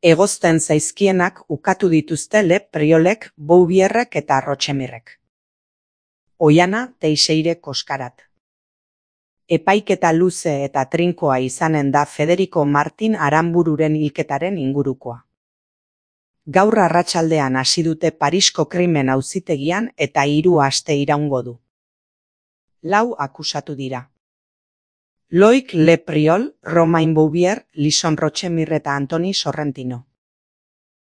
Egozten zaizkienak ukatu dituzte Le Priolek, Bouvierrek eta Rochemirrek. Oiana Teixeire Koskarat. Epaiketa luze eta trinkoa izanen da Federico Martin Aranbururen hilketaren ingurukoa. Gaur arratsaldean hasi dute Parisko krimen auzitegian eta 3 aste iraungo du. 4 akusatu dira. Loic Le Priol, Romain Bouvier, Lison Rochemire eta Antoni Sorrentino.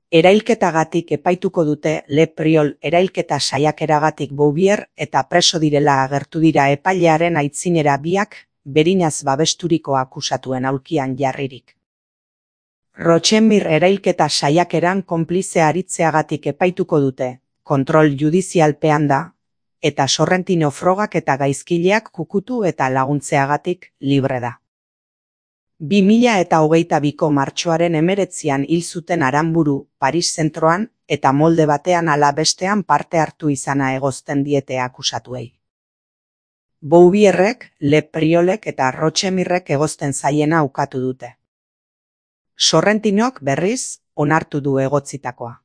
Erailketagatik epaituko dute Le Priol erailketa saiakeragatik Bouvier eta preso direla agertu dira epailearen aitzinera biak, berinaz babesturiko akusatuen aulkian jarririk. Rochemire erailketa saiakeran konplize aritzeagatik epaituko dute, kontrol judizialpean da, eta Sorrentino frogak eta gaizkileak kukutu eta laguntzeagatik libre da. 2022ko martxoaren 19an hil zuten Aranburu, Paris zentroan, eta molde batean ala bestean parte hartu izana egozten diete akusatuei. Bouvierrek, Le Priolek eta Rochemirrek egozten zaiena ukatu dute. Sorrentinok berriz, onartu du egotzitakoa.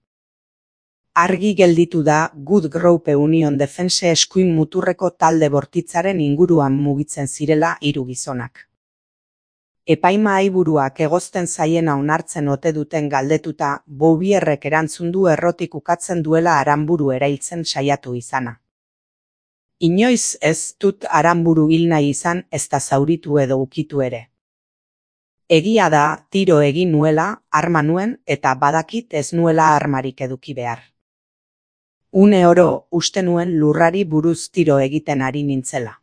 Argi gelditu da Good Groupe Union Defense eskuin muturreko talde bortitzaren inguruan mugitzen zirela 3 gizonak. Epaimahaiburuak egozten zaiena onartzen ote duten galdetuta, Bouvierrek erantzun du errotik ukatzen duela Aranburu erailtzen saiatu izana. Inoiz ez dut Aranburu hil nahi izan, ezta zauritu edo ukitu ere. Egia da, tiro egin nuela, arma nuen, eta badakit ez nuela armarik eduki behar. Une oro, uste nuen lurrari buruz tiro egiten ari nintzela.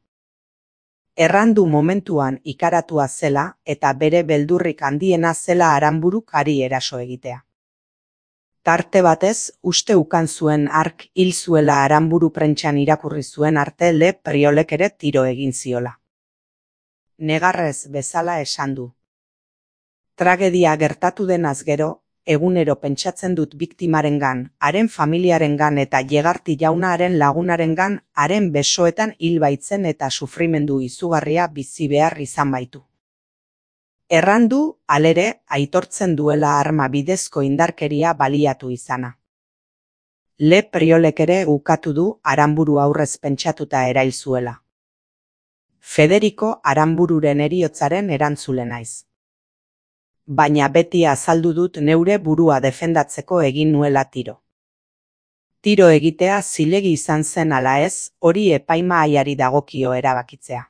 Errandu momentuan ikaratua zela eta bere beldurrik handiena zela Aranburuk hari eraso egitea. Tarte batez, uste ukan zuen hark hil zuela Aranburu prentsan irakurri zuen arte Le Priolek ere tiro egin ziola. Negarrez bezala esan du. Tragedia gertatu denaz gero, egunero pentsatzen dut biktimarengan, haren familiarengan eta Llegarti jaunaren lagunarengan, haren besoetan hil baitzen eta sufrimendu izugarria bizi behar izan baitu. Errandu, halere, aitortzen duela arma bidezko indarkeria baliatu izana. Le Priolek ere ukatu du Aranburu aurrez pentsatuta erail zuela. Federico Aranbururen heriotzaren erantzule naiz. Baina beti azaldu dut neure burua defendatzeko egin nuela tiro. Tiro egitea zilegi izan zen ala ez, hori epaimahaiari dagokio erabakitzea.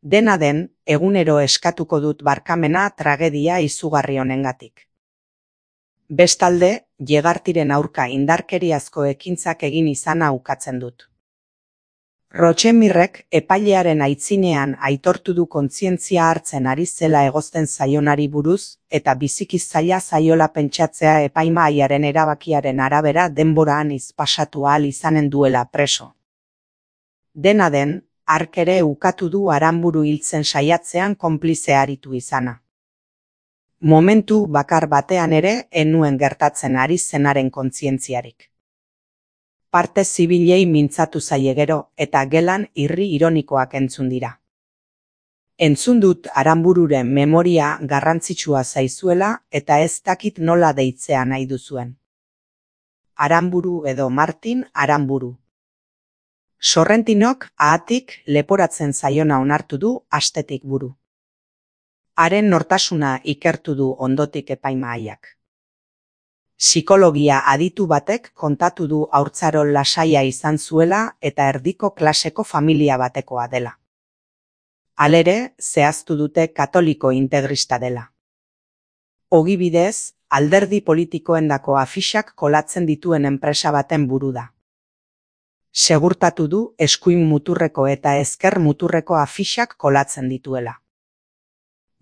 Dena den, egunero eskatuko dut barkamena tragedia izugarri honengatik. Bestalde, Llegartiren aurka indarkeriazko ekintzak egin izana ukatzen dut. Rochemirrek epailearen aitzinean aitortu du kontzientzia hartzen ari zela egozten zaionari buruz, eta biziki zaila zaiola pentsatzea epaimahaiaren erabakiaren arabera denboraan pasatu ahal izanen duela preso. Dena den, hark ere ukatu du Aranburu hiltzen saiatzean konplize aritu izana. Momentu bakar batean ere enuen gertatzen ari zenaren kontzientziarik. Parte zibilei mintzatu zaie gero eta gelan irri ironikoak entzun dira. Entzun dut Aranbururen memoria garrantzitsua zaizuela eta ez dakit nola deitzea nahi duzuen. Aranburu edo Martin Aranburu. Sorrentinok ahatik leporatzen zaiona onartu du astetik buru. Haren nortasuna ikertu du ondotik epaimahaiak. Psikologia aditu batek kontatu du haurtzaro lasaia izan zuela eta erdiko klaseko familia batekoa dela. Halere, zehaztu dute katoliko integrista dela. Ogibidez, alderdi politikoendako afixak kolatzen dituen enpresa baten buru da. Segurtatu du eskuin muturreko eta ezker muturreko afixak kolatzen dituela.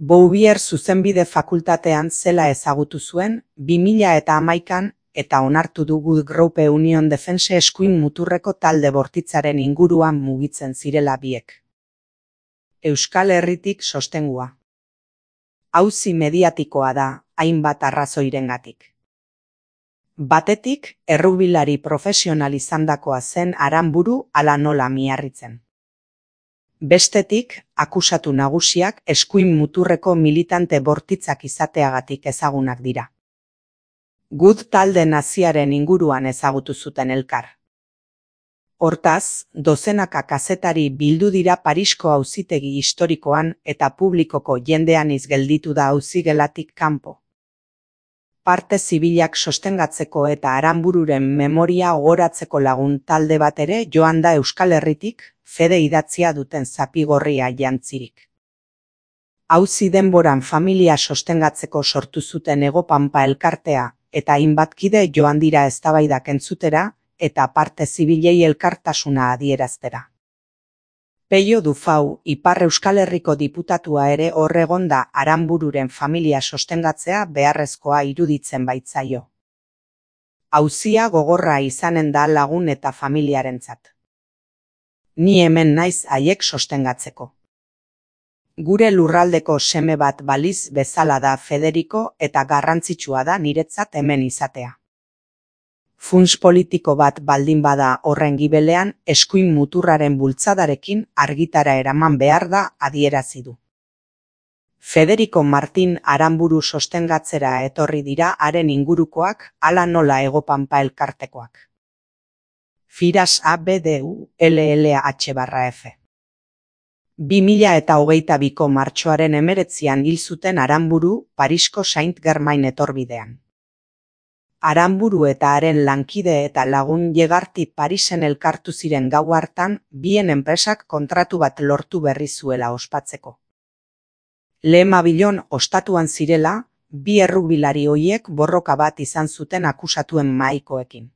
Bouvier zuzenbide fakultatean zela ezagutu zuen 2011an eta onartu du Good Groupe Union Defense eskuin muturreko talde bortitzaren inguruan mugitzen zirela biek. Euskal Herritik sostengua. Auzi mediatikoa da, hainbat arrazoirengatik. Batetik, errubilari profesional izandakoa zen Aranburu ala nola miarritzen. Bestetik, akusatu nagusiak eskuin muturreko militante bortitzak izateagatik ezagunak dira. Good talde naziaren inguruan ezagutu zuten elkar. Hortaz, dozenaka kazetari bildu dira Parisko auzitegi historikoan eta publikoko jendean gelditu da auzigelatik kanpo. Parte zibilak sostengatzeko eta Aranbururen memoria ogoratzeko lagun talde bat ere joan da Euskal Herritik, fede idatzia duten zapigorria jantzirik. Auzi denboran familia sostengatzeko sortu zuten Hego Pampa elkartea eta hainbat kide joan dira eztabaidak entzutera eta parte zibilei elkartasuna adieraztera. Peio Dufau, Ipar Euskal Herriko diputatua ere hor egon da Aranbururen familia sostengatzea beharrezkoa iruditzen baitzaio. Auzia gogorra izanen da lagun eta familiarentzat. Ni hemen naiz haiek sostengatzeko. Gure lurraldeko seme bat baliz bezala da Federico eta garrantzitsua da niretzat hemen izatea. Funts politiko bat baldin bada horren gibelean eskuin muturraren bultzadarekin argitara eraman behar da adierazi du. Federico Martin Aranburu sostengatzera etorri dira haren ingurukoak hala nola Hego Pampa elkartekoak. Firas ABDU LLH/F. 2022ko martxoaren 19an hil zuten Aranburu Parisko Saint-Germain etorbidean. Aranburu eta haren lankide eta lagun Llegarti Parisen elkartu ziren gau hartan bien enpresak kontratu bat lortu berri zuela ospatzeko. Lehemabilon ostatuan zirela, bi errugbilari hoiek borroka bat izan zuten akusatuen mahaikoekin.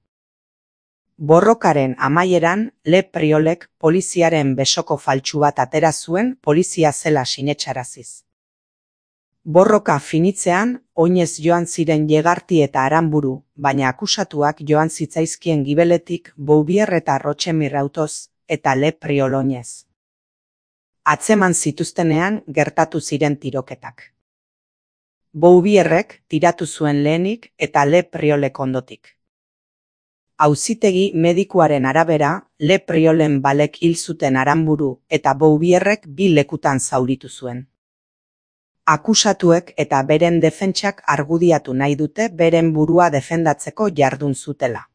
Borrokaren amaieran, Le Priolek poliziaren besoko faltsu bat atera zuen polizia zela sinetsaraziz. Borroka finitzean, oinez joan ziren Llegarti eta Aranburu, baina akusatuak joan zitzaizkien gibeletik Bouvier eta Rochemire autoz, eta Le Priol oinez. Atzeman zituztenean gertatu ziren tiroketak. Bouvierrek tiratu zuen lehenik eta Le Priolek ondotik. Auzitegi medikuaren arabera, Le Priolen balek hil zuten Aranburu eta Bouvierrek bi lekutan zauritu zuen. Akusatuek eta beren defentsak argudiatu nahi dute beren burua defendatzeko jardun zutela.